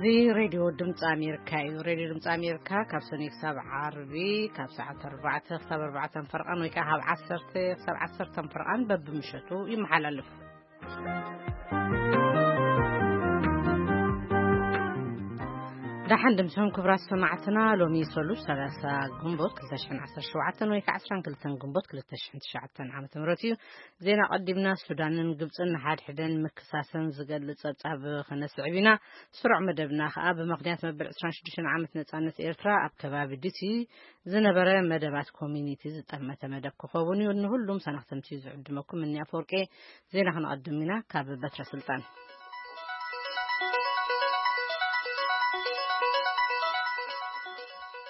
እዚ ሬድዮ ድምፂ ኣሜሪካ እዩ። ሬድዮ ድምፂ ኣሜሪካ ካብ ሰኑይ ክሳብ ዓርቢ ካብ ሰዓት ኣርባዕተ ክሳብ ኣርባዕተን ፈርቓን ወይ ከዓ ካብ ዓሰርተ ክሳብ ዓሰርተን ፈርቓን በብምሸቱ ይመሓላለፍ። ደሓን ድምፅኹም ክቡራት ሰማዕትና። ሎሚ ሰሉስ ሰላሳ ግንቦት ክልተ ሽሕን ዓሰርተ ሸውዓተን ወይ ከዓ ዓስራን ክልተን ግንቦት ክልተ ሽሕን ትሽዓተን ዓመተ ምህረት እዩ። ዜና ቀዲምና። ሱዳንን ግብፅን ንሓድሕደን ምክሳሰን ዝገልፅ ፀብፃብ ከነስዕብ ኢና። ስሩዕ መደብና ከዓ ብምኽንያት መበል ዕስራን ሽዱሽተን ዓመት ነፃነት ኤርትራ ኣብ ከባቢ ዲሲ ዝነበረ መደባት ኮሚኒቲ ዝጠመተ መደብ ክኸውን እዩ። ንሁሉም ሰናኽተምቲ ዝዕድመኩም እኒ ኣፈወርቂ። ዜና ክነቐድም ኢና ካብ በትረ ስልጣን።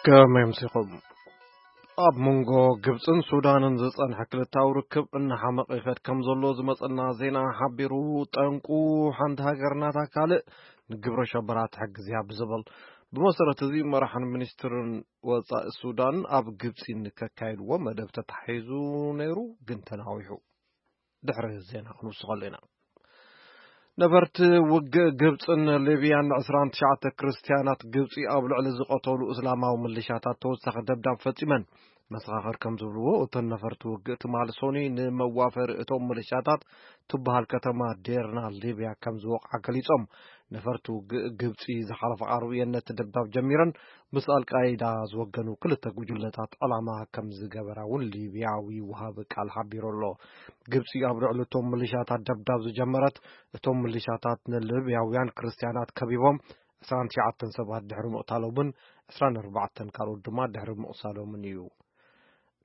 ከመይ ኣምሲኹም? ኣብ መንጎ ግብፅን ሱዳንን ዝፀንሐ ክልታዊ ርክብ እናሓመቐ ይኸድ ከም ዘሎ ዝመፀና ዜና ሓቢሩ። ጠንቁ ሓንቲ ሃገር ናታ ካልእ ንግብረ ሸበራ ትሕግዝ እያ ብዝብል፣ ብመሰረት እዚ መራሕን ሚኒስትርን ወፃኢ ሱዳን ኣብ ግብፂ ንከካይድዎ መደብ ተታሒዙ ነይሩ፣ ግን ተናዊሑ። ድሕሪ ዜና ክንውስኸሉ ኢና። ነበርቲ ውግእ ግብፅን ሊብያን ዕስራን ትሽዓተ ክርስትያናት ግብፂ ኣብ ልዕሊ ዝቐተሉ እስላማዊ ምልሻታት ተወሳኺ ደብዳብ ፈፂመን። መሰኻኽር ከም ዝብልዎ፣ እተን ነፈርቲ ውግእ ትማሊ ሰኑይ ንመዋፈሪ እቶም ምልሻታት ትበሃል ከተማ ዴርና ሊብያ ከም ዝወቕዓ ገሊጾም። ነፈርቲ ውግእ ግብፂ ዝሓለፈ ዓርቢ እየን ነቲ ደብዳብ ጀሚረን። ምስ ኣልቃይዳ ዝወገኑ ክልተ ጉጅለታት ዕላማ ከም ዝገበራ እውን ሊብያዊ ወሃቢ ቃል ሓቢሩ ኣሎ። ግብፂ ኣብ ልዕሊ እቶም ምልሻታት ደብዳብ ዝጀመረት፣ እቶም ምልሻታት ንሊብያውያን ክርስትያናት ከቢቦም ዕስራን ትሽዓተን ሰባት ድሕሪ ምቕታሎምን ዕስራን ኣርባዕተን ካልኦት ድማ ድሕሪ ምቑሳሎምን እዩ።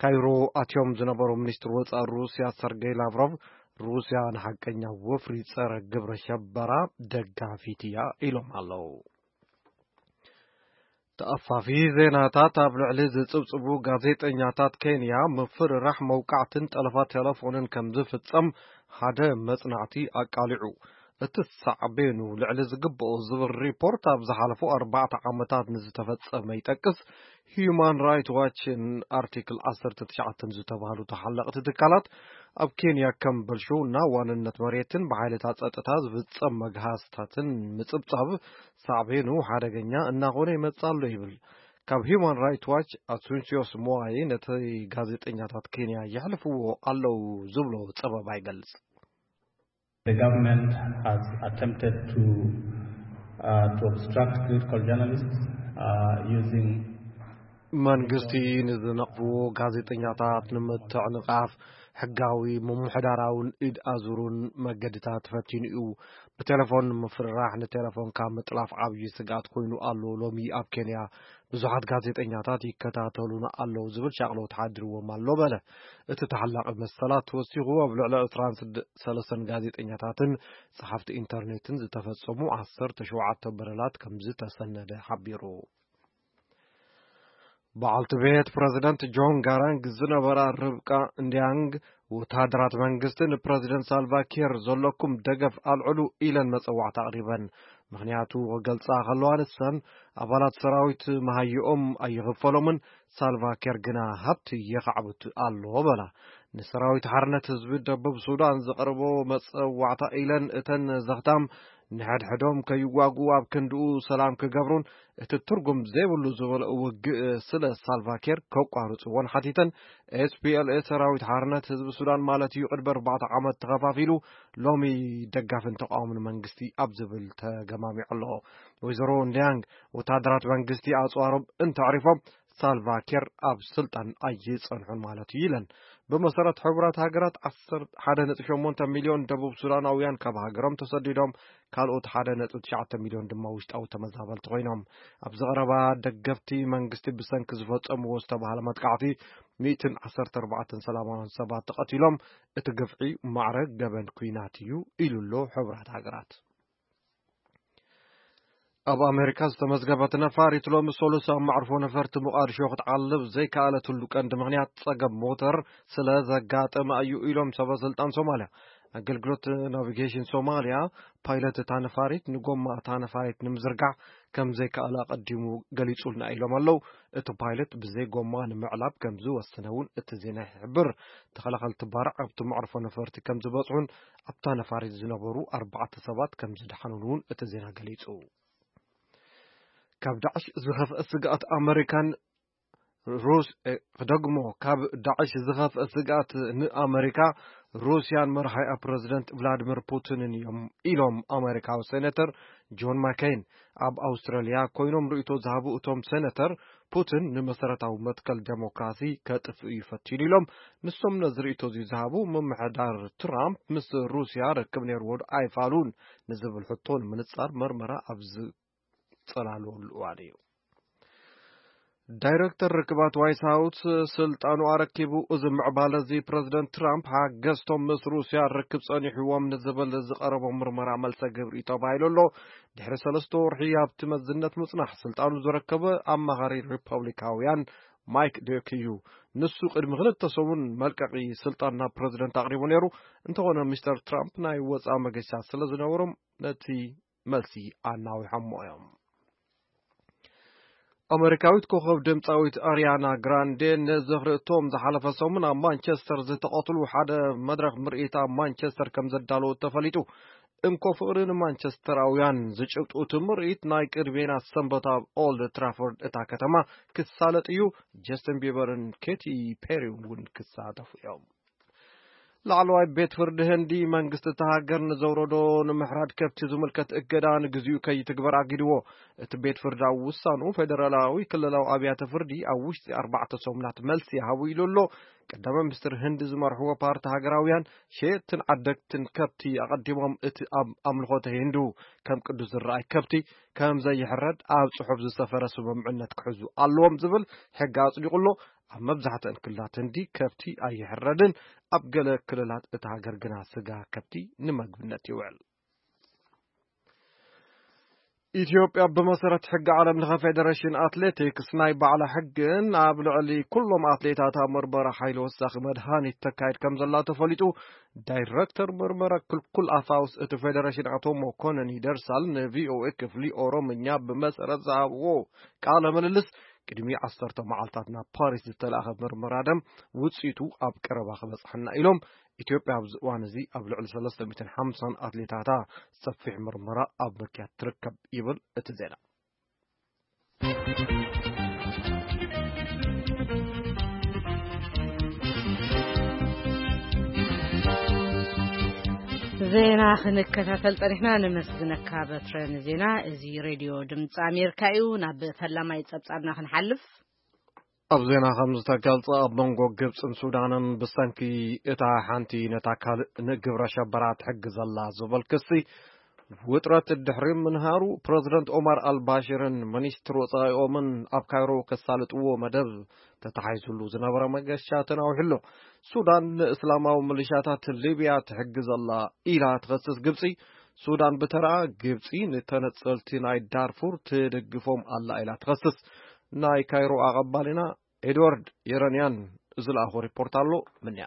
ካይሮ ኣትዮም ዝነበሩ ሚኒስትር ወፃኢ ሩስያ ሰርጌይ ላቭሮቭ፣ ሩስያ ንሓቀኛ ወፍሪ ፀረ ግብረ ሸበራ ደጋፊት እያ ኢሎም ኣለዉ። ተኣፋፊ ዜናታት ኣብ ልዕሊ ዝጽብጽቡ ጋዜጠኛታት ኬንያ ምፍርራሕ፣ መውቃዕትን ጠለፋ ቴሌፎንን ከም ዝፍጸም ሓደ መጽናዕቲ ኣቃሊዑ። እቲ ሳዕቤኑ ልዕሊ ዝግብኦ ዝብል ሪፖርት ኣብ ዝሓለፉ ኣርባዕተ ዓመታት ንዝተፈጸመ ይጠቅስ። ሂዩማን ራይት ዋች ን ኣርቲክል ዓሰርተ ትሽዓተ ዝተባህሉ ተሓለቕቲ ትካላት ኣብ ኬንያ ከም ብልሽውና፣ ዋንነት መሬትን ብሓይልታት ጸጥታ ዝፍጸም መግሃስታትን ምጽብጻብ ሳዕቤኑ ሓደገኛ እናኾነ ይመጽእ ኣሎ ይብል። ካብ ሂዩማን ራይት ዋች ኣሱንሲዮስ ሞዋይ ነቲ ጋዜጠኛታት ኬንያ የሕልፍዎ ኣለዉ ዝብሎ ጸበባ ይገልጽ። The government has attempted to, uh, to obstruct critical journalists, uh, using መንግስቲ ንዝነቕፍዎ ጋዜጠኛታት ንምትዕንቓፍ ሕጋዊ ምምሕዳራውን ኢድ ኣዙርን መገድታት ፈቲኑ እዩ። ብቴሌፎን ንምፍርራሕ፣ ንቴሌፎንካ ምጥላፍ ዓብዪ ስግኣት ኮይኑ ኣሎ። ሎሚ ኣብ ኬንያ ብዙሓት ጋዜጠኛታት ይከታተሉና ኣለዉ ዝብል ሻቕሎት ሓዲርዎም ኣሎ በለ። እቲ ተሓላቒ መሰላት ወሲኹ፣ ኣብ ልዕሊ ዕስራን ሰለስተን ጋዜጠኛታትን ጸሓፍቲ ኢንተርኔትን ዝተፈጸሙ ዓሰርተ ሸውዓተ በደላት ከም ዝተሰነደ ሓቢሩ። በዓልቲ ቤት ፕረዚደንት ጆን ጋራንግ ዝነበራ ርብቃ እንዲያንግ፣ ወተሃደራት መንግስቲ ንፕረዚደንት ሳልቫ ኪር ዘለኩም ደገፍ ኣልዕሉ ኢለን መጸዋዕታ ኣቕሪበን። ምኽንያቱ ክገልጻ ከለዋ፣ ንሰን ኣባላት ሰራዊት መሃይኦም ኣይኽፈሎምን፣ ሳልቫ ኪር ግና ሃብቲ የኻዕብት ኣሎ በላ። ንሰራዊት ሓርነት ህዝቢ ደቡብ ሱዳን ዘቕርቦ መጸዋዕታ ኢለን እተን ዘኽታም ንሕድሕዶም ከይዋግኡ ኣብ ክንድኡ ሰላም ክገብሩን እቲ ትርጉም ዘይብሉ ዝበልኦ ውግእ ስለ ሳልቫኪር ከቋርጽዎን ሓቲተን። ኤስፒኤልኤ ሰራዊት ሓርነት ህዝቢ ሱዳን ማለት እዩ፣ ቅድሚ ኣርባዕተ ዓመት ተኸፋፊሉ ሎሚ ደጋፍን ተቃዋምን መንግስቲ ኣብ ዝብል ተገማሚዑ ኣሎ። ወይዘሮ እንዲያንግ፣ ወታደራት መንግስቲ ኣጽዋሮም እንተዕሪፎም ሳልቫኪር ኣብ ስልጣን ኣይጸንሑን ማለት እዩ ኢለን። ብመሰረት ሕቡራት ሃገራት፣ ዓሰርተ ሓደ ነጥቢ ሸሞንተ ሚልዮን ደቡብ ሱዳናውያን ካብ ሃገሮም ተሰዲዶም፣ ካልኦት ሓደ ነጥቢ ትሽዓተ ሚልዮን ድማ ውሽጣዊ ተመዛበልቲ ኮይኖም። ኣብዚ ቀረባ ደገፍቲ መንግስቲ ብሰንኪ ዝፈጸምዎ ዝተባህለ መጥቃዕቲ ሚእትን ዓሰርተ ኣርባዕተን ሰላማውያን ሰባት ተቐቲሎም፣ እቲ ግፍዒ ማዕረ ገበን ኲናት እዩ ኢሉ ኣሎ ሕቡራት ሃገራት። ኣብ ኣሜሪካ ዝተመዝገበት ነፋሪት ሎሚ ሰሉስ ኣብ መዕርፎ ነፈርቲ ሞቃዲሾ ክትዓልብ ዘይከኣለትሉ ቀንዲ ምኽንያት ጸገም ሞተር ስለ ዘጋጠመ እዩ ኢሎም ሰበ ስልጣን ሶማልያ። ኣገልግሎት ናቪጌሽን ሶማልያ፣ ፓይለት እታ ነፋሪት ንጎማ እታ ነፋሪት ንምዝርጋሕ ከም ዘይከኣለ ኣቐዲሙ ገሊጹልና ኢሎም ኣለዉ። እቲ ፓይለት ብዘይ ጎማ ንምዕላብ ከም ዝወሰነ እውን እቲ ዜና ይሕብር። ተኸላኸልቲ ባርዕ ኣብቲ መዕርፎ ነፈርቲ ከም ዝበጽሑን ኣብታ ነፋሪት ዝነበሩ ኣርባዕተ ሰባት ከም ዝደሓኑን እውን እቲ ዜና ገሊጹ። ካብ ዳዕሽ ዝኸፍአ ስግኣት ኣመሪካን ሩስ-፣ እ፣ ክደግሞ፣ ካብ ዳዕሽ ዝኸፍአ ስግኣት ንኣመሪካ፣ ሩስያን መርሃያ ፕረዚደንት ቭላድሚር ፑቲንን እዮም ኢሎም ኣመሪካዊ ሴኔተር ጆን ማኬን። ኣብ ኣውስትራልያ ኮይኖም ርእይቶ ዝሃቡ እቶም ሴኔተር፣ ፑቲን ንመሰረታዊ መትከል ዴሞክራሲ ከጥፍእ እዩ ፈቲኑ ኢሎም። ንሶም ነዚ ርእይቶ እዚ ዝሃቡ፣ ምምሕዳር ትራምፕ ምስ ሩስያ ርክብ ነይርዎ ዶ ኣይፋሉን ንዝብል ሕቶ ንምንጻር መርመራ ኣብ ዝጸላለወሉ እዋን እዩ። ዳይረክተር ርክባት ዋይት ሃውስ ስልጣኑ ኣረኪቡ። እዚ ምዕባለ እዚ ፕረዚደንት ትራምፕ ሓገዝቶም ምስ ሩስያ ርክብ ጸኒሕዎም ንዝብል ዝቐረቦ ምርመራ መልሰ ግብሪ ተባሂሉ ኣሎ። ድሕሪ ሰለስተ ወርሒ ኣብቲ መዝነት ምጽናሕ ስልጣኑ ዝረከበ ኣማኻሪ ሪፐብሊካውያን ማይክ ዴክ እዩ። ንሱ ቅድሚ ክልተ ሰሙን መልቀቂ ስልጣን ናብ ፕረዚደንት ኣቕሪቡ ነይሩ። እንተኾነ ሚስተር ትራምፕ ናይ ወጻኢ መገሻ ስለ ዝነበሮም ነቲ መልሲ ኣናዊሖሞ እዮም። ኣመሪካዊት ኮኸብ ድምፃዊት ኣሪያና ግራንዴ ንዝኽሪ እቶም ዝሓለፈ ሰሙን ኣብ ማንቸስተር ዝተቐትሉ ሓደ መድረኽ ምርኢት ኣብ ማንቸስተር ከም ዘዳለወት ተፈሊጡ። እንኮ ፍቕሪ ንማንቸስተራውያን ዝጭብጡ እቲ ምርኢት ናይ ቅድሜና ሰንበት ኣብ ኦልድ ትራፎርድ እታ ከተማ ክሳለጥ እዩ። ጀስትን ቢበርን ኬቲ ፔሪን እውን ክሳተፉ እዮም። ላዕለዋይ ቤት ፍርዲ ህንዲ መንግስቲ እታ ሃገር ንዘውረዶ ንምሕራድ ከብቲ ዝምልከት እገዳ ንግዚኡ ከይትግበር ኣጊድዎ። እቲ ቤት ፍርዲ ኣብ ውሳኑ ፌደራላዊ ክልላዊ ኣብያተ ፍርዲ ኣብ ውሽጢ ኣርባዕተ ሰሙናት መልሲ ይሃቡ ኢሉ ኣሎ። ቀዳማይ ሚኒስትር ህንዲ ዝመርሕዎ ፓርቲ ሃገራውያን ሸየጥትን ዓደግትን ከብቲ ኣቐዲሞም እቲ ኣብ ኣምልኾተ ሂንዱ ከም ቅዱስ ዝረኣይ ከብቲ ከም ዘይሕረድ ኣብ ጽሑፍ ዝሰፈረ ስምምዕነት ክሕዙ ኣለዎም ዝብል ሕጊ ኣጽዲቑ ኣሎ። ኣብ መብዛሕትአን ክልላት ህንዲ ከብቲ ኣይሕረድን። ኣብ ገለ ክልላት እታ ሃገር ግና ስጋ ከብቲ ንምግብነት ይውዕል። ኢትዮጵያ ብመሰረት ሕጊ ዓለም ለኸ ፌደሬሽን ኣትሌቲክስ ናይ ባዕላ ሕግን ኣብ ልዕሊ ኩሎም ኣትሌታታ ምርመራ ሓይሊ ወሳኺ መድሃኒት ተካይድ ከም ዘላ ተፈሊጡ። ዳይረክተር ምርመራ ክልኩል ኣፋውስ እቲ ፌደሬሽን ኣቶ መኮነን ይደርሳል ንቪኦኤ ክፍሊ ኦሮምኛ ብመሰረት ዝሃብዎ ቃለ ምልልስ፣ ቅድሚ ዓሰርተ መዓልታት ናብ ፓሪስ ዝተላእኸ ምርመራ ደም ውፅኢቱ ኣብ ቀረባ ክበፅሐና ኢሎም። ኢትዮጵያ ኣብዚ እዋን እዚ ኣብ ልዕሊ ሰለስተ ሚእትን ሓምሳን ኣትሌታታ ሰፊሕ ምርመራ ኣብ ምክያድ ትርከብ ይብል እቲ ዜና። ዜና ክንከታተል ጸኒሕና፣ ነመስግነካ በትረ ንዜና። እዚ ሬድዮ ድምፂ ኣሜሪካ እዩ። ናብ ፈላማይ ጸብጻብና ክንሓልፍ። ኣብ ዜና ከም ዝተገልጸ፣ ኣብ መንጎ ግብጽን ሱዳንን ብሰንኪ እታ ሓንቲ ነታ ካልእ ንግብረ ሸበራ ትሕግዝ ኣላ ዝብል ክሲ ውጥረት ድሕሪ ምንሃሩ፣ ፕረዚደንት ኦማር ኣልባሽርን ሚኒስትር ወጻኢኦምን ኣብ ካይሮ ከሳልጥዎ መደብ ተታሒዙሉ ዝነበረ መገሻ ተናዊሑ ኣሎ። ሱዳን ንእስላማዊ ሚሊሻታት ሊብያ ትሕግዝ ኣላ ኢላ ትኸስስ ግብጺ፣ ሱዳን ብተረኣ ግብጺ ንተነጸልቲ ናይ ዳርፉር ትድግፎም ኣላ ኢላ ትኸስስ። ናይ ካይሮ ኣቐባሊና ኤድዋርድ የረንያን ዝለኣኾ ሪፖርት ኣሎ። ምንያ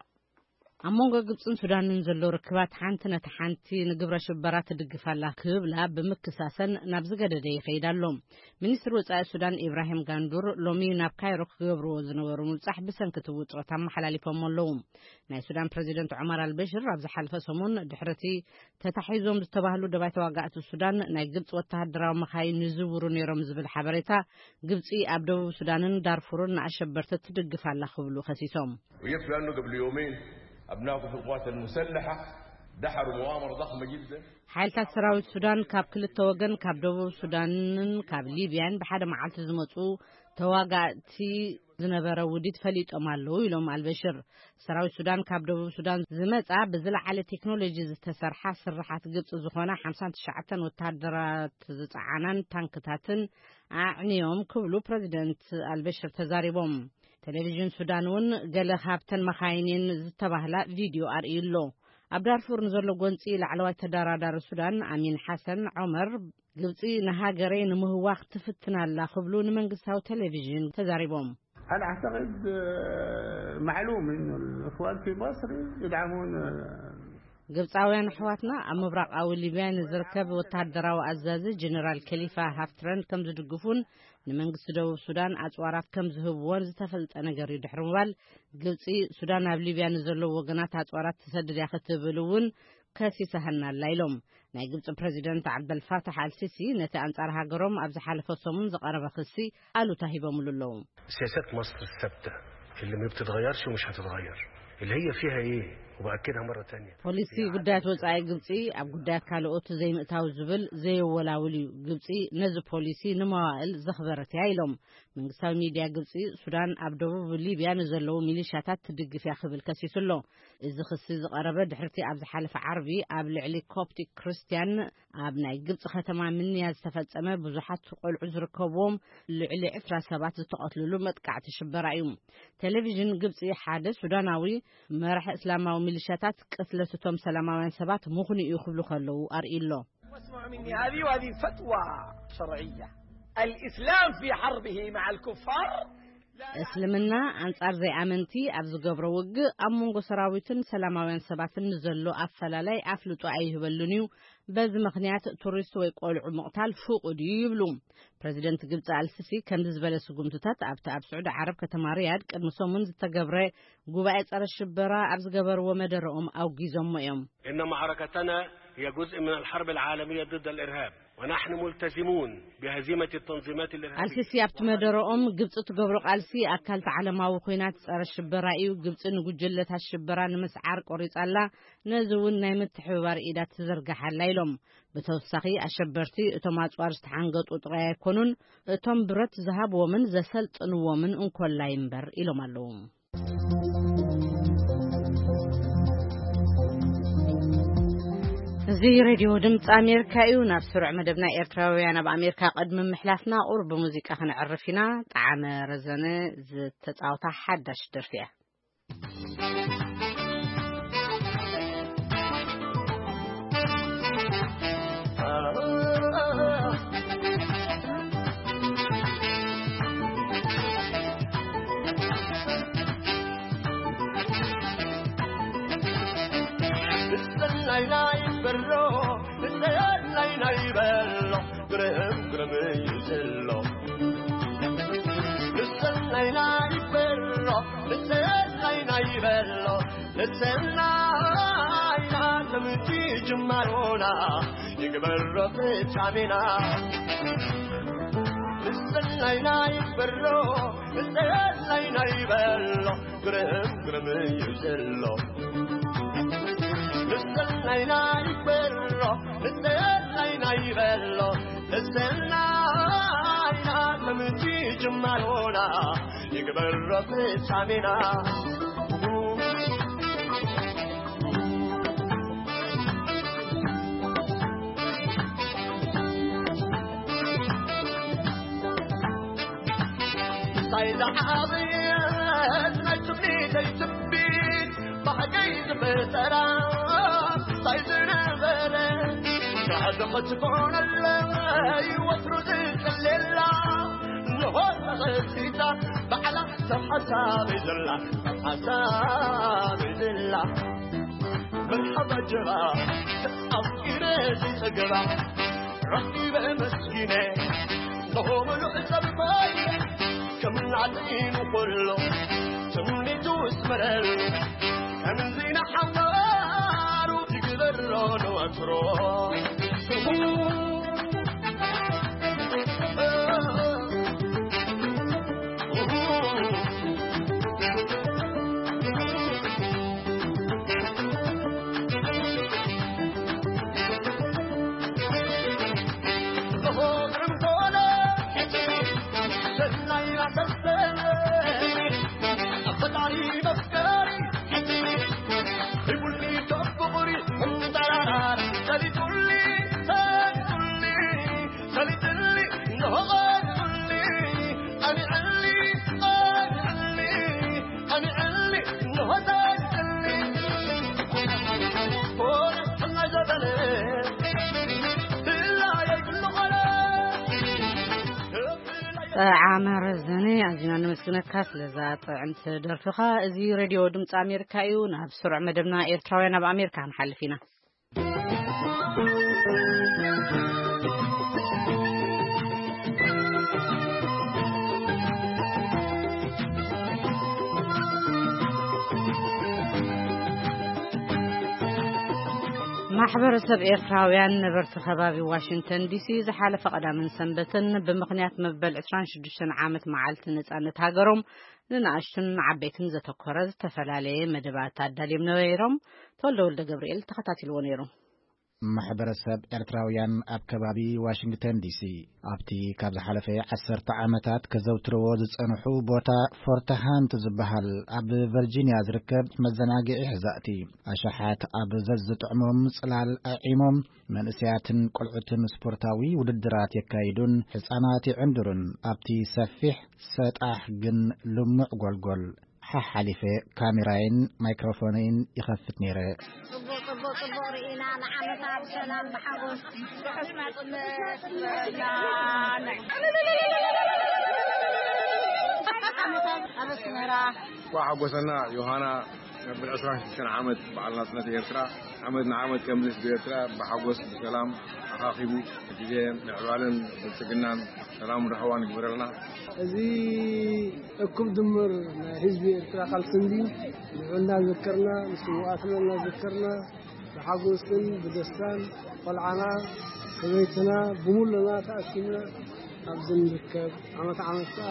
ኣብ መንጎ ግብጽን ሱዳንን ዘሎ ርክባት ሓንቲ ነቲ ሓንቲ ንግብረ ሽበራ ትድግፍ ኣላ ክብላ ብምክሳሰን ናብ ዝገደደ ይኸይድ ኣሎ። ሚኒስትር ወጻኢ ሱዳን ኢብራሂም ጋንዱር ሎሚ ናብ ካይሮ ክገብርዎ ዝነበሩ ምብጻሕ ብሰንኪ እቲ ውጥረት ኣመሓላሊፎሞ ኣለዉ። ናይ ሱዳን ፕረዚደንት ዑመር ኣልበሽር ኣብ ዝሓለፈ ሰሙን ድሕሪ እቲ ተታሒዞም ዝተባህሉ ደባይ ተዋጋእቲ ሱዳን ናይ ግብጺ ወተሃደራዊ መኻይን ይዝውሩ ነይሮም ዝብል ሓበሬታ፣ ግብጺ ኣብ ደቡብ ሱዳንን ዳርፉርን ንኣሸበርቲ ትድግፍ ኣላ ክብሉ ከሲሶም። وجدت أنه قبل يومين أبناء كتل القوات المسلحة دحروا مؤامرة ضخمة جدا. ሓይልታት ሰራዊት ሱዳን ካብ ክልተ ወገን፣ ካብ ደቡብ ሱዳንን ካብ ሊብያን ብሓደ መዓልቲ ዝመጹ ተዋጋእቲ ዝነበረ ውዲት ፈሊጦም ኣለዉ ኢሎም ኣልበሽር። ሰራዊት ሱዳን ካብ ደቡብ ሱዳን ዝመጻ ብዝለዓለ ቴክኖሎጂ ዝተሰርሓ ስርሓት ግብጺ ዝኾና ሓምሳን ትሽዓተን ወተሃደራት ዝጸዓናን ታንክታትን ኣዕንዮም ክብሉ ፕረዚደንት ኣልበሽር ተዛሪቦም። ቴሌቪዥን ሱዳን እውን ገለ ካብተን መኻይኒን ዝተባህላ ቪድዮ ኣርእዩ ኣሎ። ኣብ ዳርፉር ንዘሎ ጎንጺ ላዕለዋይ ተደራዳሪ ሱዳን ኣሚን ሓሰን ዖመር፣ ግብጺ ንሃገረይ ንምህዋኽ ትፍትን ኣላ ክብሉ ንመንግስታዊ ቴሌቪዥን ተዛሪቦም። هل أعتقد، آه، معلوم إنه الإخوان في مصر يدعمون، آه، ግብጻውያን ኣሕዋትና ኣብ ምብራቓዊ ሊብያ ንዝርከብ ወተሃደራዊ ኣዛዚ ጀነራል ከሊፋ ሃፍትረን ከም ዝድግፉን ንመንግስቲ ደቡብ ሱዳን ኣጽዋራት ከም ዝህብዎን ዝተፈልጠ ነገር እዩ። ድሕሪ ምባል ግብጺ ሱዳን ኣብ ሊብያ ንዘለዉ ወገናት ኣጽዋራት ትሰድድ እያ ክትብል እውን ከሲሳህና ኣላ ኢሎም። ናይ ግብፂ ፕሬዚደንት ዓብደልፋታሕ ኣልሲሲ ነቲ ኣንጻር ሃገሮም ኣብ ዝሓለፈ ሰሙን ዝቐረበ ክሲ ኣሉታ ሂቦምሉ ኣለዉ። سياسات مصر الثابتة اللي ما بتتغيرش ومش هتتغير، اللي هي فيها ايه؟ وبأكدها مرة تانية. ፖሊሲ ጉዳያት ወጻኢ ግብጺ ኣብ ጉዳያት ካልኦት ዘይምእታው ዝብል ዘየወላውል እዩ። ግብጺ ነዚ ፖሊሲ ንመዋእል ዘኽበረት እያ ኢሎም። መንግስታዊ ሚድያ ግብጺ፣ ሱዳን ኣብ ደቡብ ሊብያ ንዘለዉ ሚሊሻታት ትድግፍ እያ ክብል ከሲሱ ኣሎ። እዚ ክሲ ዝቐረበ ድሕርቲ ኣብ ዝሓለፈ ዓርቢ ኣብ ልዕሊ ኮፕቲክ ክርስትያን ኣብ ናይ ግብጺ ከተማ ምንያ ዝተፈጸመ ብዙሓት ቆልዑ ዝርከብዎም ልዕሊ ዕስራ ሰባት ዝተቐትልሉ መጥቃዕቲ ሽበራ እዩ። ቴሌቪዥን ግብጺ ሓደ ሱዳናዊ መራሒ እስላማዊ ሚሊሻታት ቅትለት እቶም ሰላማውያን ሰባት ምኽኑ እዩ ክብሉ ከለዉ ኣርእዩ ኣሎ። واسمعوا مني، هذه وهذه فتوى شرعية. الإسلام في حربه مع الكفار. እስልምና ኣንጻር ዘይኣመንቲ ኣብ ዝገብሮ ውግእ ኣብ መንጎ ሰራዊትን ሰላማውያን ሰባትን ንዘሎ ኣፈላላይ ኣፍልጦ ኣይህበሉን እዩ። በዚ ምኽንያት ቱሪስት ወይ ቆልዑ ምቕታል ፍቑድ እዩ ይብሉ። ፕረዚደንት ግብጺ ኣልሲሲ ከምዚ ዝበለ ስጉምትታት ኣብቲ ኣብ ስዑዲ ዓረብ ከተማ ሪያድ ቅድሚ ሰሙን ዝተገብረ ጉባኤ ጸረ ሽበራ ኣብ ዝገበርዎ መደረኦም ኣውጊዞሞ እዮም። إن معركتنا هي جزء من الحرب العالمية ضد الإرهاب، ونحن ملتزمون بهزيمة التنظيمات الإرهابية. ኣልሲሲ ኣብቲ መደረኦም፣ ግብጺ ትገብሮ ቃልሲ ኣካል ዓለማዊ ኲናት ጸረ ሽበራ እዩ። ግብጺ ንጉጅለታት ሽበራ ንምስዓር ቆሪጻ ኣላ። ነዚ እውን ናይ ምትሕብባር ኢዳ ትዝርግሓላ ኢሎም። ብተወሳኺ ኣሸበርቲ እቶም ኣጽዋር ዝተሓንገጡ ጥራይ ኣይኮኑን፣ እቶም ብረት ዝሃብዎምን ዘሰልጥንዎምን እንኮላይ እምበር ኢሎም ኣለዉ። እዚ ሬድዮ ድምፂ ኣሜሪካ እዩ። ናብ ስሩዕ መደብና ኤርትራውያን ኣብ ኣሜሪካ ቅድሚ ምሕላፍና ቁሩብ ብሙዚቃ ክንዕርፍ ኢና። ጣዕመ ረዘነ ዝተፃወታ ሓዳሽ ደርፊ እያ። ንሰናይ ናይ በሎ፣ ንሰናይ ናይ በሎ፣ ግርም ግርም እዩ ዘሎ። ንሰናይ ናይ በሎ፣ ንሰናይ ናይ በሎ፣ ንሰናይ ናተምቲ ጅማሮና ይግበሮ ፍጻሜና። ንሰናይ ናይ በሎ፣ ንሰናይ ናይ በሎ፣ ግርም ግርም እዩ ዘሎ። ንሰናይ ናይ በሎ፣ ንሰናይ ናይ በሎ፣ ንሰናይ ናተምቲ ጅማሮና ይግበሮ ፍጻሜና። እንታይ ዝዓበየት ናይ ትምኒተይ ትንቢት፣ ብሓቀይ ዝፈጠራ እንታይ ዝነበረ፣ ናዕዲ ክትኮነለይ ወትሩ ዝጽልየላ፣ ንሆ ተኸሲታ ባዕላ ሰብ ሓሳበይ ዘላ፣ ሰብ ሓሳበይ ዘላ። መርሓባ ጀራ ኣፍቂረ ዝጸገባ ረኺበ መስኪነ ንሆ ምሉእ ሰብ ኮይነ ከም ናዕሊኑ ኩሎ ትምኒቱ እስመረሉ ከምዚ ንሓዋሩ ይግበሮ ንወትሮ። ጠዓመ ረዘነ፣ ኣዚና ነመስግነካ ስለዛ ጥዕምቲ ደርፍኻ። እዚ ሬድዮ ድምፂ ኣሜሪካ እዩ። ናብ ስሩዕ መደብና ኤርትራውያን ኣብ ኣሜሪካ ክንሓልፍ ኢና። ማሕበረሰብ ኤርትራውያን ነበርቲ ከባቢ ዋሽንግተን ዲሲ ዝሓለፈ ቀዳምን ሰንበትን ብምኽንያት መበል ዕስራን ሽዱሽተን ዓመት መዓልቲ ነጻነት ሃገሮም ንንኣሽቱን ዓበይትን ዘተኮረ ዝተፈላለየ መደባት ኣዳልዮም ነይሮም። ተወልደ ወልደ ገብርኤል ተኸታቲልዎ ነይሩ። ማሕበረሰብ ኤርትራውያን ኣብ ከባቢ ዋሽንግተን ዲሲ ኣብቲ ካብ ዝሓለፈ ዓሰርተ ዓመታት ከዘውትርዎ ዝጸንሑ ቦታ ፎርት ሃንት ዝበሃል ኣብ ቨርጂንያ ዝርከብ መዘናግዒ ሕዛእቲ ኣሽሓት ኣብ ዘዝጥዕሞም ጽላል ኣዒሞም መንእሰያትን ቆልዑትን ስፖርታዊ ውድድራት የካይዱን ህጻናት ይዕንድሩን ኣብቲ ሰፊሕ ሰጣሕ ግን ልሙዕ ጎልጎል ሓሓሊፈ ካሜራይን ማይክሮፎነይን ይኸፍት ነይረ። ጽቡቕ፣ ጽቡቕ፣ ጽቡቕ ርኢና ንዓመታ ብሰላም ብሓጎስ ርሑስ ናጽነት ይበልና። ዓመታ ኣብ ኣስመራ። እንኳዕ ሓጎሰና ዮሃና፣ መበል ዕስራን ሽዱሽተን ዓመት በዓል ናጽነት ኤርትራ። ዓመት ንዓመት ከም ህዝቢ ኤርትራ ብሓጎስ ብሰላም ኣኻኺቡ ግዜ ምዕባለን ብልጽግናን ሰላምን ራህዋን ይግበረልና። እዚ እኩብ ድምር ናይ ህዝቢ ኤርትራ ቃልሲ እንድዩ። ንዑ እናዘከርና፣ ንስውኣትና እናዘከርና፣ ብሓጎስን ብደስታን ቆልዓና፣ ሰበይትና፣ ብምሉና ተኣኪብና ኣብዚ ንርከብ። ዓመት ዓመት ከኣ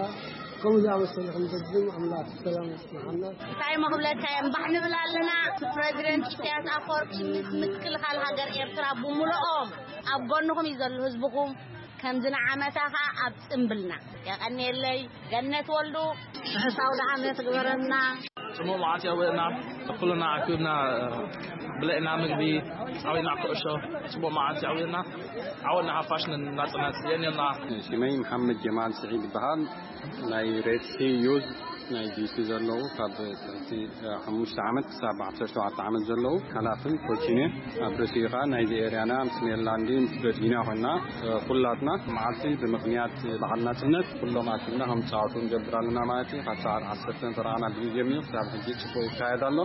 ከምኡ ዝኣመሰለ ክንደግም ኣምላኽ ሰላም የጽንሓና። እንታይ እሞ ክብለካ እየ፣ እምባሕ ንብል ኣለና። ፕረዚደንት ኢሳያስ ኣፈወርቂ ምስ ምክልኻል ሃገር ኤርትራ ብምሉኦም ኣብ ጎንኹም እዩ ዘሎ ህዝብኹም። ከምዚ ንዓመታ ኸኣ ኣብ ጽምብልና። የቐንየለይ። ገነት ወልዱ። ርሑስ ኣውደ ዓመት ግበረልና። ጽቡቕ መዓልቲ የውዕልና። ኩልና ኣኪብና ብለዕና ምግቢ፣ ጻዊና ኩዕሾ። ጽቡቕ መዓልቲ የውዕልና። ዓወት ንሓፋሽ ንናጽነት። የኔና። ሽመይ መሓመድ ጀማል ስዒድ ይበሃል። ናይ ሬድ ሲ ዩዝ ናይ ዲሲ ዘለዉ ካብ ትሕቲ ሓሙሽተ ዓመት ክሳብ ዓሰርተ ሸውዓተ ዓመት ዘለዉ ሓላፍን ኮችን እየ። ኣብ ርእሲኡ ኸኣ ናይዚ ኤርያና ምስ ሜሪላንድን ምስ ቨርጂንያ ኮይና፣ ኩላትና መዓልቲ ብምኽንያት በዓል ናጽነት ኩሎም ኣኪብና ከም ጻወቱ ንገብር ኣለና ማለት እዩ። ካብ ሰዓት ዓሰርተ ፈረቓ ናብ ግዜ ጀሚሩ ክሳብ ሕጂ ጽቡቕ ይካየድ ኣሎ።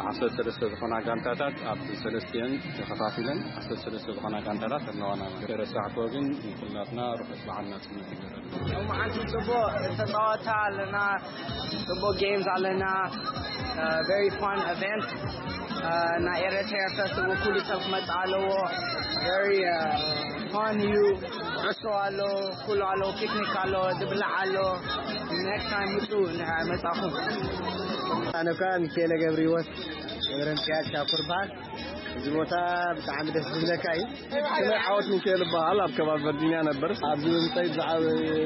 ዓሰርተ ሰለስተ ዝኾና ጋንታታት ኣብ ሰለስቲአን ተኸፋፊለን ዓሰርተ ሰለስተ ዝኾና ጋንታታት ኣለዋና። ገረሳዕኮ ግን ንኩላትና ርሑስ በዓል ናጽነት ይግበረልና። ሎማዓንቲ ጽቡቕ ተጻወታ ኣለና፣ ጽቡቕ ጌምስ ኣለና። ቨሪ ፋን ኢቨንት። ናይ ኤረትራ ፌስቲቫል ኩሉ ሰብ ክመጽእ ኣለዎ። ቨሪ ፋን እዩ። ዕሶ ኣሎ፣ ኩሉ ኣሎ፣ ፒክኒክ ኣሎ፣ ዝብላዕ ኣሎ። ኔክስት ታይም ምጹ እንድሕር መጻኹም። ኣነ እኳ ሚካኤለ ገብረ ህይወት ገብረ ሚካኤል ሻኩር በሃል። እዚ ቦታ ብጣዕሚ ደስ ዝብለካ እዩ። ስመይ ዓወት ሚካኤል እበሃል። ኣብ ከባቢ ቨርጂንያ ነበር። ኣብዚ ብምምፀይ ብዛዕባ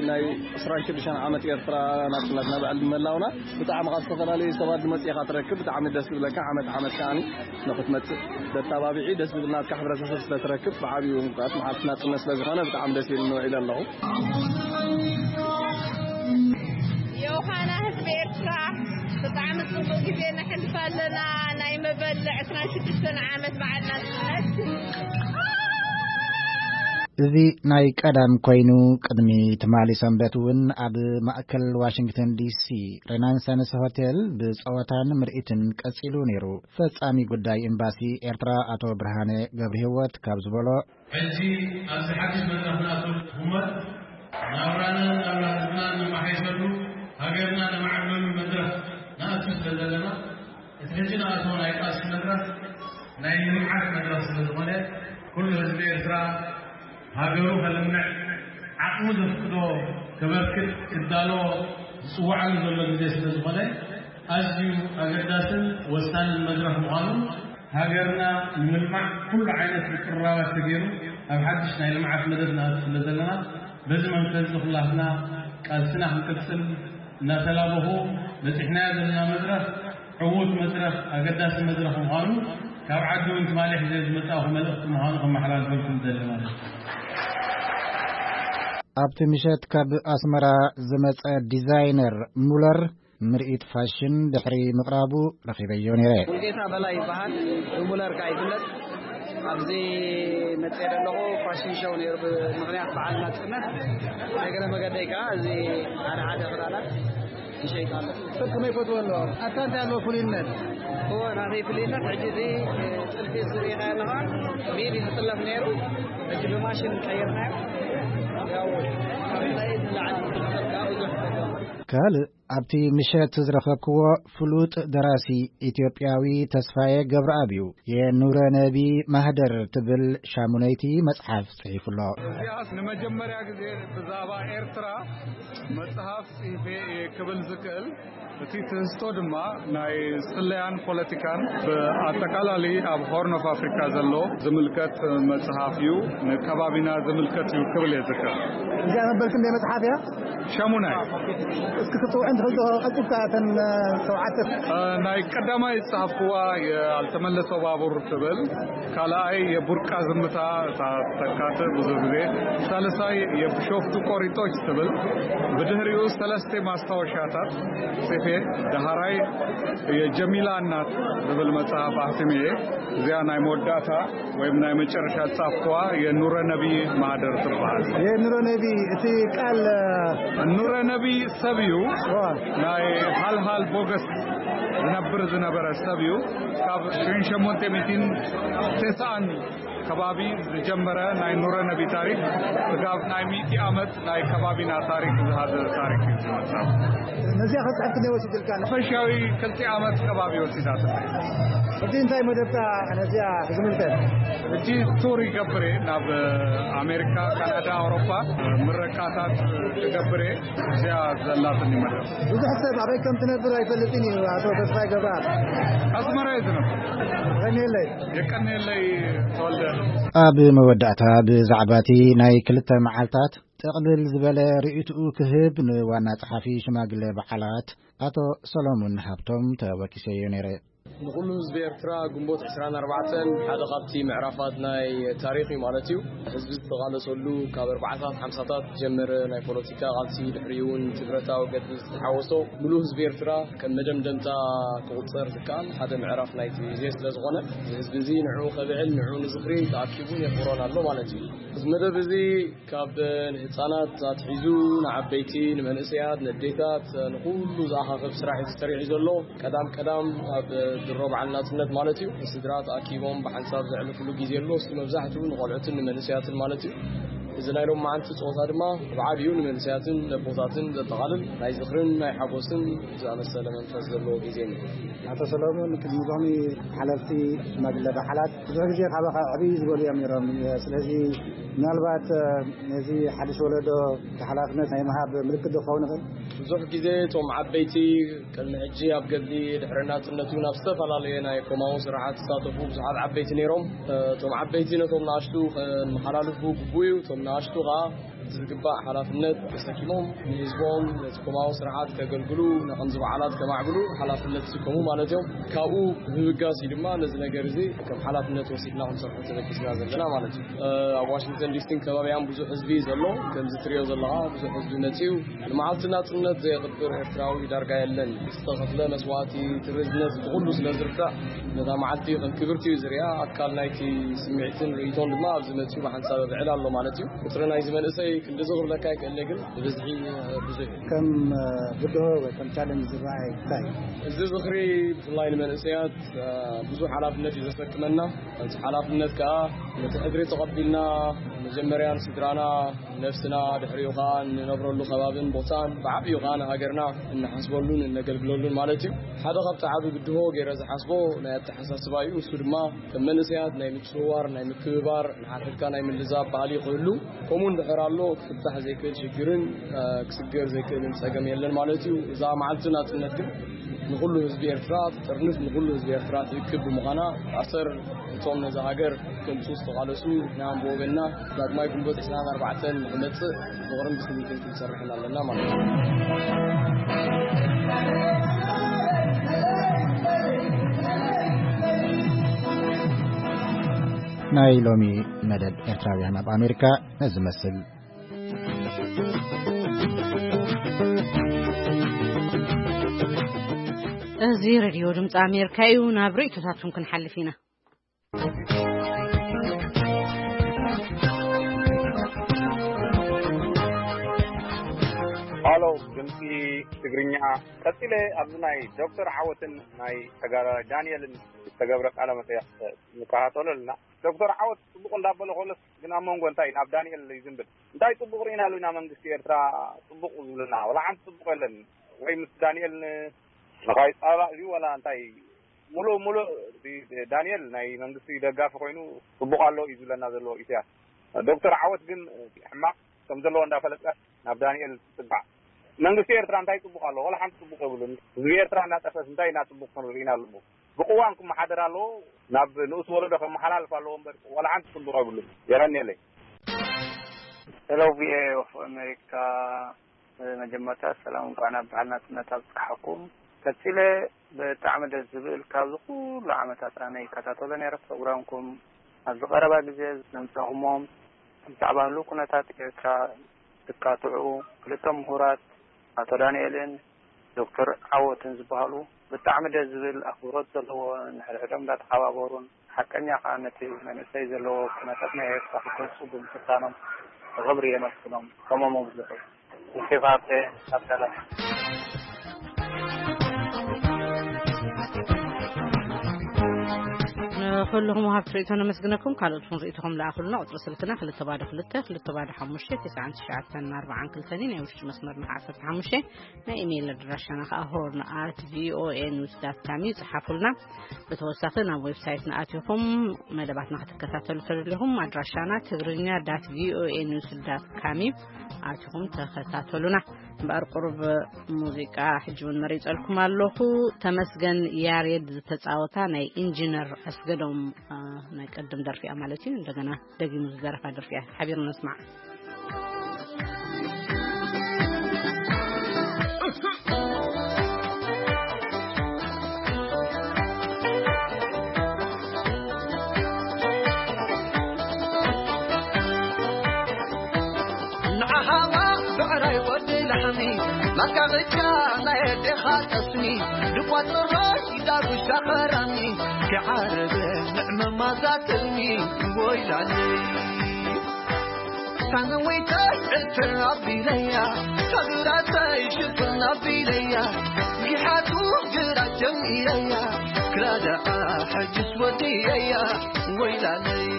ናይ ዕስራን ሽዱሽተን ዓመት ኤርትራ ናጽነትና በዓል ምህላውና ብጣዕሚ ካብ ዝተፈላለዩ ሰባት ዝመጽእ ኢኻ ትረክብ። ብጣዕሚ ደስ ዝብለካ ዓመት ዓመት ከዓኒ ንኽትመጽእ ተታባቢዒ ደስ ዝብል ናትካ ሕብረተሰብ ስለትረክብ ብዓብዩ ምኽንያት መዓልቲ ናጽነት ስለዝኾነ ብጣዕሚ ደስ ኢሉኒ ውዒለ ኣለኹ። ዮሃና ህዝቢ ኤርትራ ብጣዕሚ ጽቡቕ ግዜ ነሕልፍ ኣለና። ናይ መበል ዕስራን ሽዱሽተን ዓመት በዓል ናጽነት። እዚ ናይ ቀዳም ኮይኑ ቅድሚ ትማሊ ሰንበት እውን ኣብ ማእከል ዋሽንግተን ዲሲ ሬናንሰንስ ሆቴል ብጸወታን ምርኢትን ቀጺሉ ነይሩ። ፈጻሚ ጉዳይ ኤምባሲ ኤርትራ ኣቶ ብርሃነ ገብረህይወት ካብ ዝበሎ ሕጂ ኣብዚ ሓድሽ መድረኽ ንኣትወሉ እሞ ናብራናን ናብራ ህዝብናን ነመሓይሸሉ ሃገርና ነማዕብለሉ መድረኽ ንኣቱ ስለ ዘለና እቲ ሕጂ ንኣትዎ ናይ ቃልሲ መድረኽ ናይ ልምዓት መድረኽ ስለ ዝኾነ ኩሉ ህዝቢ ኤርትራ ሃገሩ ከልምዕ ዓቕሙ ዘፍቅዶ ከበርክት ክዳሎ ዝጽውዓሉ ዘሎ ግዜ ስለ ዝኾነ ኣዝዩ ኣገዳስን ወሳንን መድረኽ ምዃኑ ሃገርና ንምልማዕ ኩሉ ዓይነት ምቅርራባት ተገይሩ ኣብ ሓድሽ ናይ ልምዓት መደብ ንኣቱ ስለ ዘለና በዚ መንፈስ እዚ ኩላትና ቃልስና ክንቅጽል እናተላበኹ በጺሕናዮ ዘለና መድረኽ ዕዉት መድረኽ ኣገዳሲ መድረኽ ምዃኑ ካብ ዓዲ እውን ትማሊ ሒዘ ዝመጻእኹ መልእኽቲ ምዃኑ ከመሓላልፈልኩም ደሊ ማለት እዩ። ኣብቲ ምሸት ካብ ኣስመራ ዝመጸ ዲዛይነር ሙለር ምርኢት ፋሽን ድሕሪ ምቕራቡ ረኺበዮ ነይረ። ሙሉጌታ በላይ ይበሃል። ብሙለር ከኣ ይፍለጥ። ኣብዚ መጽየ ዘለኹ ፋሽን ሾው ነይሩ ብምኽንያት በዓል ናጽነት። ናይ ገለ መገደይ ከኣ እዚ ሓደ ሓደ ክዳናት ይሸይጥ ኣሎ። ሰብ ከመይ ይፈትዎ ኣሎ? ኣታ እንታይ ኣለዎ ፍሉይነት? እወ፣ ናተይ ፍሉይነት ሕጂ እዚ ጥልፊ ዝርእኻ ኣለኻ፣ ብኢድ እዩ ዝጥለፍ ነይሩ። ሕጂ ብማሽን ቀይርናዮ። ያው ካብ ናይ ንላዕሊ ሰብ ከኣ ብዙሕ ይፈትዎ። ካልእ ኣብቲ ምሸት ዝረኸብክዎ ፍሉጥ ደራሲ ኢትዮጵያዊ ተስፋዬ ገብረኣብ እዩ። የኑረ ነቢ ማህደር ትብል ሻሙነይቲ መጽሓፍ ጽሒፉ ኣሎ። እዚኣስ ንመጀመርያ ግዜ ብዛዕባ ኤርትራ መጽሓፍ ጽሒፈ እየ ክብል ዝክእል። እቲ ትህዝቶ ድማ ናይ ስለያን ፖለቲካን፣ ብኣጠቃላሊ ኣብ ሆርን ኦፍ ኣፍሪካ ዘሎ ዝምልከት መጽሓፍ እዩ። ንከባቢና ዝምልከት እዩ ክብል እየ ዝክእል። እዚኣ መበል ክንደይ መጽሓፍ እያ? ሸሙናይ። እስኪ ክትውዕን ትኽእል ዶ ቀልጢፍካ እተን፣ እ፣ ሸውዓተ? እ፣ ናይ ቀዳማይ ዝጸሓፍኩዋ የኣልተመለሰ ባቡር ትብል፣ ካልኣይ የቡርቃ ዝምታ፣ እታ ተካትእ ብዙ ግዜ፣ ሳልሳይ የብሾፍቱ ቆሪጦች ትብል፣ ብድሕሪኡ ሰለስተ ማስታወሻታት ጽፌ፣ ደሃራይ የጀሚላ እናት ዝብል መጽሓፍ ኣሕቲመ እየ። እዚኣ ናይ መወዳእታ ወይም ናይ መጨረሻ ጻፍኳ የኑረ ነቢ ማህደር ትበሃል። የኑረ ነቢ፣ እቲ ቃል፣ እ፣ ኑረ ነቢ ሰብ እዩ። ዋ። ናይ ሃልሃል ቦገስ ዝነብር ዝነበረ ሰብ እዩ። ካብ ሽሕን ሸሞንተ ሚእትን ተስዓን ከባቢ ዝጀመረ ናይ ኑረ ነቢ ታሪክ፣ ስጋብ ናይ ሚእቲ ዓመት ናይ ከባቢና ታሪክ ዝሃዘ ታሪክ እዩ ዝመጽእ። ነዚኣ ክትጽሕፍ ክንደይ ወሲድልካ? ሓፈሻዊ ክልተ ዓመት ከባቢ ወሲዳትለይ። ሕጂ እንታይ መደብካ ነዚኣ ዝምልከት? ሕጂ ቱር ይገብር እየ፣ ናብ ኣሜሪካ፣ ካናዳ፣ ኣውሮፓ ምረቃታት ክገብር እየ። እዚኣ ዘላትኒ መደብ። ብዙሕ ሰብ ኣበይ ከም ትነብር ኣይፈልጥን እዩ። ኣቶ ተስፋይ ገብረኣብ። ኣስመራ እየ ዝነብር። የቀንየለይ። የቀንየለይ ተወልደ። ኣብ መወዳእታ ብዛዕባ እቲ ናይ ክልተ መዓልታት ጥቕልል ዝበለ ርእይትኡ ክህብ ንዋና ጸሓፊ ሽማግለ በዓላት ኣቶ ሰሎሙን ሃብቶም ተወኪሰዮ ነይረ። ንኹሉ ህዝቢ ኤርትራ ግንቦት ዕስራን ኣርባዕተን ሓደ ካብቲ ምዕራፋት ናይ ታሪኽ እዩ ማለት እዩ። ህዝቢ ዝተቓለሰሉ፣ ካብ ኣርባዓታት ሓምሳታት ዝጀመረ ናይ ፖለቲካ ቃልሲ፣ ድሕሪኡ እውን እቲ ብረታዊ ገድሊ ዝተሓወሶ፣ ምሉእ ህዝቢ ኤርትራ ከም መደምደምታ ክቑጸር ዝከኣል ሓደ ምዕራፍ ናይቲ ግዜ ስለ ዝኾነ፣ እዚ ህዝቢ እዚ ንዕኡ ከብዕል፣ ንዕኡ ንዝኽሪ ተኣኪቡን የኽብሮን ኣሎ ማለት እዩ። እዚ መደብ እዚ ካብ ንህጻናት ኣትሒዙ ንዓበይቲ፣ ንመንእሰያት፣ ንኣዴታት፣ ንኹሉ ዝኣኻኽብ ስራሕ እዩ ተሰሪሑ ዘሎ። ቀዳም ቀዳም ኣብ ድሮ በዓል ናጽነት ማለት እዩ፣ ስድራ ተኣኪቦም ብሓንሳብ ዘዕልፍሉ ግዜ ኣሎ። እሱ መብዛሕትኡ ንቖልዑትን ንመንእሰያትን ማለት እዩ። እዚ ናይ ሎማዓንቲ ጸወታ ድማ ብዓቢኡ ንመንእሰያትን ነቦታትን ዘጠቓልል ናይ ዝኽርን ናይ ሓጎስን ዝኣመሰለ መንፈስ ዘለዎ ግዜ እዩ። ኣቶ ሰሎሞን፣ ቅድሚ ሎሚ ሓለፍቲ ሽማግለ በዓላት ብዙሕ ግዜ ካባኻ ዕብይ ዝበሉ እዮም ነይሮም። ስለዚ ምናልባት፣ እ፣ ነዚ ሓድሽ ወለዶ እቲ ሓላፍነት ናይ ምሃብ ምልክት ዶ ክኸውን ይኽእል? ብዙሕ ግዜ እቶም ዓበይቲ ቅድሚ ሕጂ ኣብ ገድሊ ድሕሪ ናጽነት እውን ኣብ ዝተፈላለየ ናይ ኮማዊ ስርዓት ዝሳተፉ ብዙሓት ዓበይቲ ነይሮም። እ፣ እቶም ዓበይቲ ነቶም ንኣሽቱ ከመሓላልፉ ግቡእ እዩ። እቶም ንኣሽቱ ከኣ ዝግባእ ሓላፍነት ተሰኪሞም ንህዝቦም ነቲ ኮማዊ ስርዓት ከገልግሉ፣ ንከምዚ በዓላት ከማዕብሉ ሓላፍነት ዝስከሙ ማለት እዮም። ካብኡ ብምብጋስ እዩ ድማ ነዚ ነገር እዚ ከም ሓላፍነት ወሲድና ክንሰርሖ ተበጊስና ዘለና ማለት እዩ። እ፣ ኣብ ዋሽንግተን ዲሲን ከባቢኣን ብዙሕ ህዝቢ እዩ ዘሎ። ከምዚ ትሪኦ ዘለኻ ብዙሕ ህዝቢ መጺኡ። ንመዓልቲ ናጽነት ዘየኽብር ኤርትራዊ ዳርጋ የለን። ዝተኸፍለ መስዋእቲ፣ ትርዝነት፣ እቲ ኩሉ ስለ ዝርዳእ ነታ መዓልቲ ከም ክብርቲ እዩ ዝሪኣ። ኣካል ናይቲ ስምዒትን ርእይቶን ድማ ኣብዚ መጺኡ ብሓንሳብ ብዕል ኣሎ ማለት እዩ። ቁጽሪ ናይዚ መንእሰይ ክንድዚ ክብለካ ኣይክእልን'የ፣ ግን ብብዝሒ፣ እ፣ ብዙሕ እዩ። ከም፣ እ፣ ብድሆ ወይ ከም ቻለንጅ ዝረኣይ እንታይ እዩ? እዚ ዝኽሪ ብፍላይ ንመንእሰያት፣ እ፣ ብዙሕ ሓላፍነት እዩ ዘሰክመና። እቲ ሓላፍነት ከኣ ነቲ ሕድሪ ተቐቢልና መጀመርያ ንስድራና፣ ንነፍስና፣ ድሕሪኡ ከኣ ንነብረሉ ከባብን ቦታን፣ ብዓቢኡ ከኣ ንሃገርና እንሓስበሉን እነገልግለሉን ማለት እዩ። ሓደ ካብቲ ዓቢ ብድሆ ገይረ ዝሓስቦ ናይ ኣተሓሳስባ እዩ። እሱ ድማ ከም መንእሰያት ናይ ምጽውዋር፣ ናይ ምክብባር፣ ንሓድሕድካ ናይ ምልዛብ ባህሊ ክህሉ፣ ከምኡ እንድሕር ኣሎ ክፍታሕ ዘይክእል ሽግርን፣ እ፣ ክስገር ዘይክእልን ጸገም የለን ማለት እዩ። እዛ መዓልቲ ናጽነት ግን ንኹሉ ህዝቢ ኤርትራ ትጥርንፍ፣ ንኹሉ ህዝቢ ኤርትራ ትእክብ ብምዃና፣ ኣሰር እቶም ነዛ ሃገር ከምጽኡ ዝተቓለሱ ንሕና ብወገንና ዳግማይ ግንቦት ዕስራን ኣርባዕተን ንኽመጽእ ብፍቕርን ብስኒትን ክንሰርሕን ኣለና ማለት እዩ። ናይ ሎሚ መደብ ኤርትራውያን ኣብ ኣሜሪካ ነዚ መስል። እዚ ሬድዮ ድምፂ ኣሜሪካ እዩ። ናብ ርእይቶታትኩም ክንሓልፍ ኢና። ሃሎ፣ ድምፂ ትግርኛ። ቀፂለ ኣብዚ ናይ ዶክተር ዓወትን ናይ ተጋዳላይ ዳንኤልን ዝተገብረ ቃለ መጠየቕ ንከታተሎ ኣለና። ዶክተር ዓወት ፅቡቕ እንዳበለ ከሎስ ግን ኣብ መንጎ እንታይ ናብ ዳንኤል ይዝንብል? እንታይ ፅቡቕ ርኢናሉ ኢና? መንግስቲ ኤርትራ ፅቡቕ ዝብለና ዋላ ሓንቲ ፅቡቕ የለን። ወይ ምስ ዳንኤል ን-፣ ንኻይ ጻባእ እዩ ዋላ እንታይ? ሙሉእ ሙሉእ እቲ ዳንኤል ናይ መንግስቲ ደጋፊ ኮይኑ ጽቡቕ ኣሎ እዩ ዝብለና ዘሎ ኢሳያስ። ዶክተር ዓወት ግን ሕማቕ ከም ዘለዎ እንዳፈለጠ ናብ ዳንኤል ትጽጋዕ። መንግስቲ ኤርትራ እንታይ ጽቡቕ ኣሎ? ዋላ ሓንቲ ጽቡቕ የብሉን። ህዝቢ ኤርትራ እናጠፈስ እንታይ ኢና ጽቡቕ ክንርኢና ኣለዎ? ብቅዋም ክመሓደር ኣለዎ። ናብ ንኡስ ወለዶ ከመሓላልፍ ኣለዎ እምበር ዋላ ሓንቲ ጽቡቕ የብሉን። የቐንየለይ። ሄሎ፣ ቪኦኤ ኦፍ ኣሜሪካ፣ መጀመርታ ሰላም፣ እንኳዕ ናብ በዓል ናጽነት ኣብጽሓኩም። ቀጺለ፣ ብጣዕሚ ደስ ዝብል፣ ካብዚ ኩሉ ዓመታት ኣነ ይከታተሎ ነይረ ፕሮግራምኩም። ኣብዚ ቀረባ ግዜ ዘምጻኹሞም ብዛዕባ ህሉው ኩነታት ኤርትራ ዝካትዑ ክልተ ምሁራት፣ ኣቶ ዳንኤልን ዶክተር ዓወትን ዝበሃሉ፣ ብጣዕሚ ደስ ዝብል ኣኽብሮት ዘለዎ፣ ንሕድሕዶም እንዳተሓባበሩን ሓቀኛ ከኣ ነቲ መንእሰይ ዘለዎ ኩነታት ናይ ኤርትራ ክገልጹ ብምፍታኖም ብኽብሪ የመስግኖም። ከመኦም ዝኽእል ንሴፋርቴ ኣብ ሰላም። ንኹልኹም ወሃብቲ ርእይቶ ነመስግነኩም። ካልኦት ርኢቶኹም ለኣኹልና። ቁጽሪ ስልክና ክልተ ባዶ ክልተ፣ ክልተ ባዶ ሓሙሽተ፣ ትስዓን ትሽዓተን ኣርባዓን ክልተን እዩ። ናይ ውሽጢ መስመርና ዓሰርተ ሓሙሽተ። ናይ ኢሜይል ኣድራሻና ከኣ ሆርን ኣት ቪኦኤ ኒውስ ዳት ካም እዩ። ጽሓፉልና። ብተወሳኺ ናብ ዌብሳይትና ኣቲኹም መደባትና ክትከታተሉ ተደሊኹም ኣድራሻና ትግርኛ ዳት ቪኦኤ ኒውስ ዳት ካም እዩ። ኣቲኹም ተኸታተሉና። እምበኣር ቁሩብ ሙዚቃ ሕጂ እውን መሪጸልኩም ኣለኹ። ተመስገን ያሬድ ዝተጻወታ ናይ ኢንጂነር ኣስገዶም፣ እ፣ ናይ ቅድም ደርፊ እያ ማለት እዩ። እንደገና ደጊሙ ዝደረፋ ደርፊ እያ። ሓቢርና ንስማዕ። ንዓኻ ብዕራይ ወዲ ላሕሚ፣ ናትካ ብቻ ናይ ኣዴኻ ጠስሚ፣ ድቋት ጥራይ ዳጉሻ ኸራሚ፣ ክዓርብ ንዕመማዛ ትልሚ፣ ወይላኒ። ሳንወይተይ ዕትር ኣቢለያ፣ ሳግራተይ ሽፍን ኣቢለያ፣ ጊሓቱ ግራት ጀሚረያ፣ ክራዳኣ ሕጅስ ወዲየያ፣ ወይላለይ።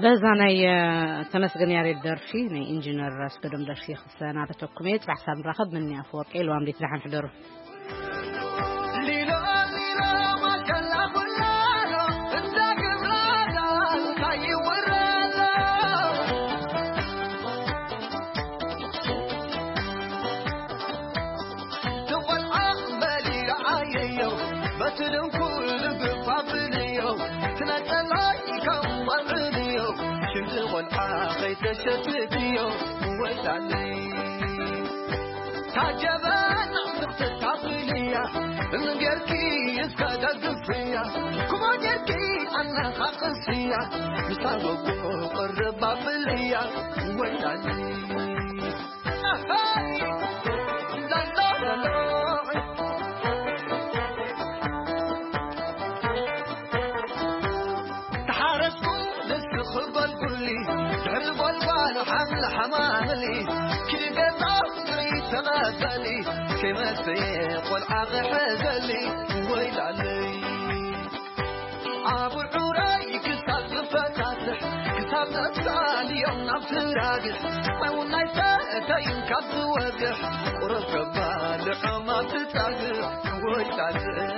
በዛ ናይ፣ እ፣ ተመስገን ያሬድ ደርፊ፣ ናይ ኢንጂነር ኣስገዶም ደርፊ ክሰናበተኩም እየ። ጽባሕ ሳብ ንራኸብ። ምኒ ኣፈወርቂ፣ ልዋም ዴት፣ ደሓን ሕደሩ። ታጀበና ምኽትታብልያ እንጌርኪ እስከ ደግፍያ፣ ኩማ ጌርኪ ኣነኻቕስያ፣ ምስታ ጎጎ ቅርብ ኣብልያ፣ ወይላኒ። ኣሃይ! ላላላላ። ተሓረስኩ ንስኺ በልኩሊ፣ ድሕሪ ጎልጓል ሓምሊ ሓማምሊ፣ ክገዛ ጥሪ ተቐበሊ፣ ከይመሰየ ቆልዓ ክሕዘሊ፣ ወይላለይ። ኣብ ዑራይ ክሳብ ዝፈታትሕ፣ ክሳብ ነብሳ ልዮም ናብ ትራግሕ፣ ማይ እውን ኣይሰተይን ካብ ዝወግሕ፣ ቁሩብ ከባልዖም ኣብ ትጻግዕ፣ ወይላለይ።